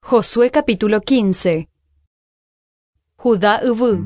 Josué capítulo 15. Judá yvy.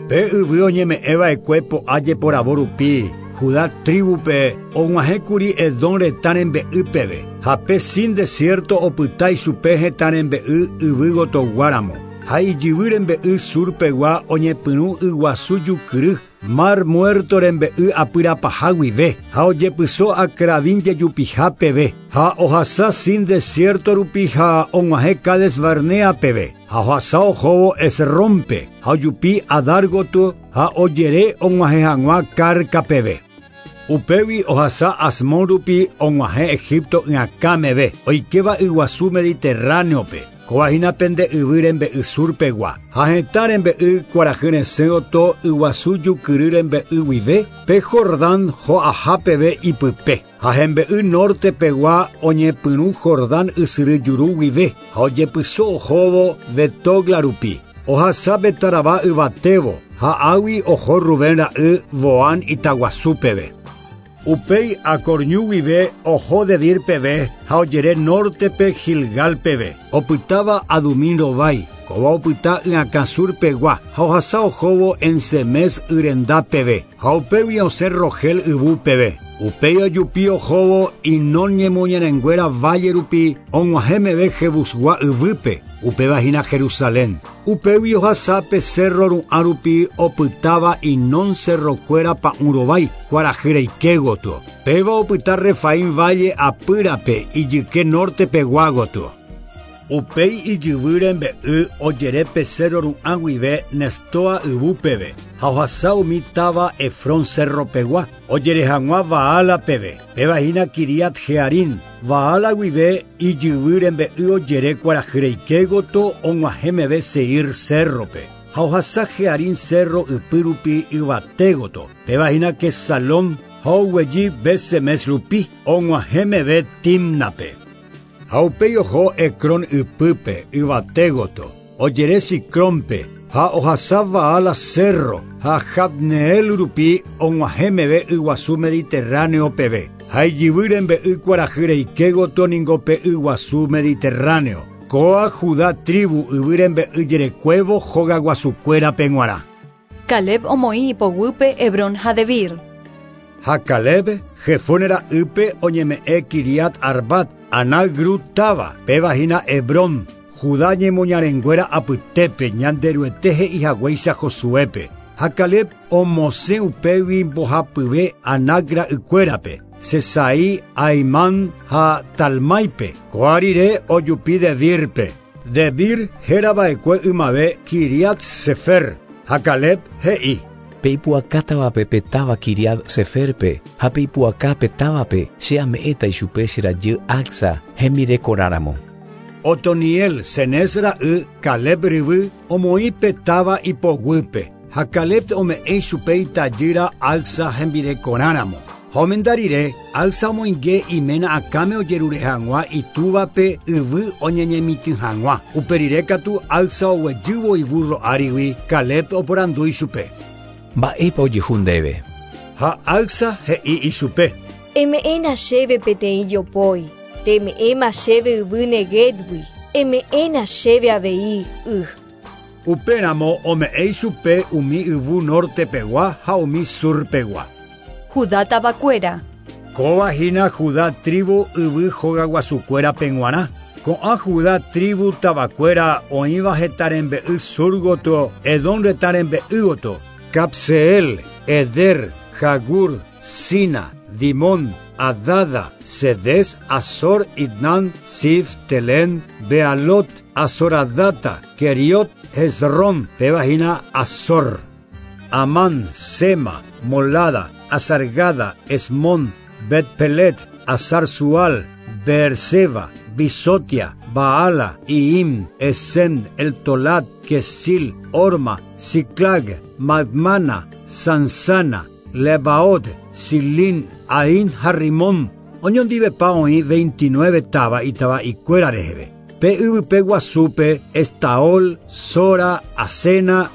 Pe yvy oñeme'ẽva'ekue po'a jeporavo rupi, Judá tribu-pe og̃uahẽkuri Edom retã rembe'y peve, ha pe Sin desierto opyta ichupe hetã rembe'y yvy gotoguáramo, ha ijyvy rembe'y sur-pegua oñepyrũ yguasu jukyry, Mar Muerto rembe'y apyrapaha guive, ha ojepyso Acrabim jejupiha peve, ha ohasa Sin desierto rupi ha og̃uahẽ Cades Barnea peve, ha ohasa ohóvo Hezrónpe, ha ojupi Adar gotyo ha ojere og̃uahẽ hag̃ua Carca peve. Upégui ohasa Asmón rupi og̃uahẽ Egipto yakã meve, oikéva yguasu Mediterráneo-pe. Kóva hína pende yvy rembe'y sur pegua, ha hetã rembe'y kuarahy resẽ gotyo yguasu jukyry rembe'y guive, pe Jordán ho'aha peve ipype. Ha hembe'y norte pegua oñepyrũ Jordán ysyry juru guive, ha ojepyso ohóvo Betogla rupi, ohasa Betarabá yvatévo, ha águi oho Rubén ra'y Boán itaguasu peve. Upéi Acor ñu guive oho Debir peve ha ojere nórtepe Gilgal peve, opytáva Adumín rovái, kóva opyta yakã sur pegua ha ohasa ohóvo En-Semes y renda peve, ha upégui osẽ Rogel yvu peve. Upéi ojupi ohóvo Hinón ñemoñarenguéra válle rupi og̃uahẽ meve Jebusgua yvýpe, upéva hína Jerusalén. Upégui ohasa pe cérro ru'ã rupi opytáva Hinón cerrokuéra pa'ũ rovái, kuarahy reike gotyo. Péva opyta Refaim válle apýrape ijyke norte pegua gotyo. Upéi ijyvy rembe'y ojere pe cérro ru'ã guive Nestoa yvu peve, ha ohasa umi táva Efrón cérro pegua, ojere hag̃ua Baala peve, péva hína Quiriat Jearim. Baala guive ijyvy rembe'y ojere kuarahy reike gotyo og̃uahẽ meve Seir cérrope, ha ohasa Jearim cérro ypy rupi yvate gotyo, péva hína Quesalón, ha oguejy Bet-Semes rupi, og̃uahẽ meve Timnape. Ha upéi oho Ecrón ypýpe, yvate gotyo, ojere Sicrónpe, ha ohasa Baala cérro, ha Jabneel rupi og̃uahẽ meve yguasu Mediterráneo peve. Ha ijyvy rembe'y kuarahy reike gotyo ningo pe yguasu Mediterráneo. Kóa Judá tribu yvy rembe'y jerekuévo hogaguasukuérape g̃uarã. Caleb omoĩ ipoguýpe Hebrón ha Debir. Ha Caleb, Jefone ra'ýpe oñeme'ẽ Quiriat Arbat, Anac ru táva, péva hína Hebrón, Judá ñemoñarenguéra apytépe, Ñanderuete he'i haguéicha Josuépe. Ha Caleb omosẽ upégui mbohapyve Anac ra'ykuérape, Sesai, Ahimán ha Talmáipe. Kóa rire ojupi Debírpe. Debir héra va'ekue ymave Quiriat-Sefer. Ha Caleb he'i. Pe ipu'akátavape pe táva Quiriat-Seférpe, ha pe ipu'aka pe távape, che ame'ẽta ichupe che rajy Acsa hembirekorã ramo. Otoniel, Cenez ra'y, Caleb ryvy, omoĩ pe táva ipoguýpe, ha Caleb ome'ẽ ichupe itajýra Acsa hembirekorã ramo. Ha omenda rire, Acsa omoinge iména akãme ojerure hag̃ua itúvape yvy oñeñemitỹ hag̃ua. Upe rire katu Acsa oguejývo ibúrro árigui, Caleb oporandu ichupe. Mba'épa ojehu ndéve? Ha Acsa he'i ichupe. Eme'ẽna chéve peteĩ jopói, reme'ẽma chéve yvy Neguébgui, eme'ẽna chéve avei y. Upéramo ome'ẽ ichupe umi yvu norte pegua ha umi sur pegua. Judá tavakuéra. Kóva hína Judá trívu yvy hogaguasukuérape g̃uarã. Ko'ã Judá trívu tavakuéra oĩva hetã rembe'y sur gotyo, Edom retã rembe'y gotyo, Cabseel, Eder, Jagur, Sina, Dimón, Adada, Cedes, Azor, Itnán, Zif, Telén, Bealot, Azoradata, Queriot, Hezrón, péva hína Azor, Amán, Sema, Molada, Azargada, Esmón, Bet-Pelet, Azar-Sual, Beerseba, Bisotia, Baala, Iim, Esem, Eltolat, Kesil, Orma, Siclag, Madmana, Sansana, Lebaot, Silín, Ain ha Rimón. Oñondivepa oĩ 29 táva itava'ikuéra reheve. Pe yvype guasúpe, Estaol, Sora, Asena,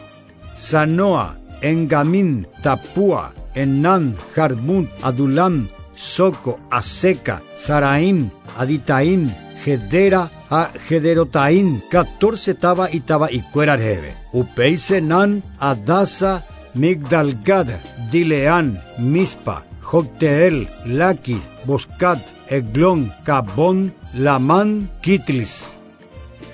Sanoa, Engamín, Tapúa, Enán, Jarmut, Adulam, Soco, Aseca, Saraim, Aditaim, Gedera ha Gederotaín, 14 táva itava'ikuéra reheve. Upéi Senán, Adasa, Migdalgad, Dileán, Mispa, Jocteel, Laquis, Boscat, Eglón, Cabón, Lamán, Kitlis.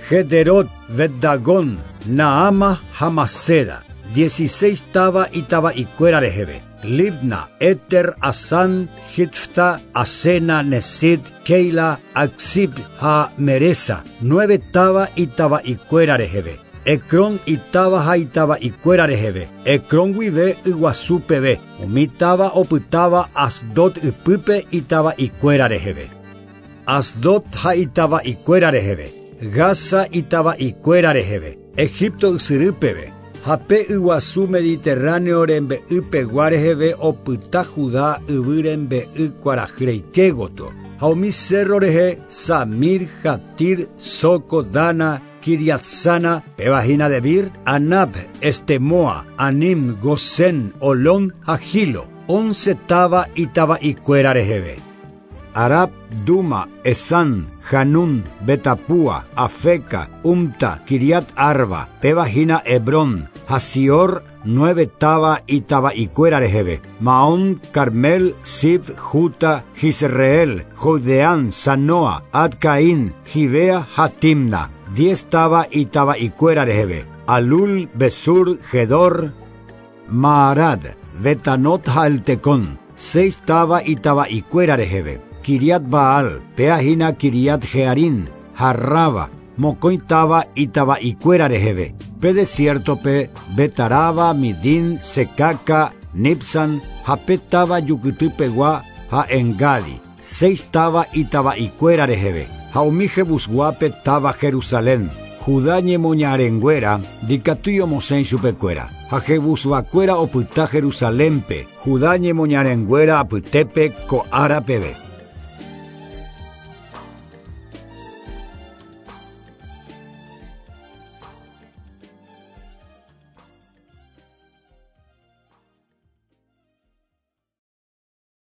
Gederot, Betdagón, Naama, Hamaseda, 16 táva itava'ikuéra reheve. Libna, Eter, Asan, Hitfta, Asena, Nesid, Keila, Aksib ha Meresa, 9 táva itava'ikuéra reheve. Ecrón itáva ha itava'ikuéra reheve. Ecrón guive Yguasu peve. Umi táva opytáva Asdod ypýpe itava'ikuéra reheve. Asdod ha itava'ikuéra reheve. Gaza itava'ikuéra reheve. Egipto ysyry peve. Ha pe yguasu Mediterráneo rembe'ypegua reheve opyta Judá yvy rembe'y kuarahyreike gotyo. Ha umi cerro rehe Samir, Jatir, Soco, Dana, Kiriatsana, péva hína Debir, Anab, Estemoa, Anim, Gosén, Olón ha Gilo, 11 táva itava'ikuéra reheve. Arab, Duma, Esan, Hanún, Betapúa, Afeca, Umta, Kiriat Arba, péva hína Hebrón, Hasior, 9 táva itava'ikuéra reheve. Maón, Carmel, Sif, Juta, Jisreel, Jodeán, Sanoa, Adcaín, Gibea ha Timna, 10 táva itava'ikuéra reheve. Alul, Besur, Gedor, Maarad, Betanot ha Eltecón, 6 táva itava'ikuéra reheve. Kiriat Baal, péa hína Kiriat Jearín, Harraba, mokõi táva itava'ikuéra reheve. Pe desiertope, Betaraba, Midín, Secaca, Nipsan, ha pe táva Jukytypegua ha Engadi, 6 táva itava'ikuéra reheve. Ha umi Jebusguápe táva Jerusalén. Judá ñemoñarenguéra ndikatúi omosẽ chupekuéra. Ha Jebusguakuéra opyta Jerusalénpe, Judá ñemoñarenguéra apytépe ko ára peve.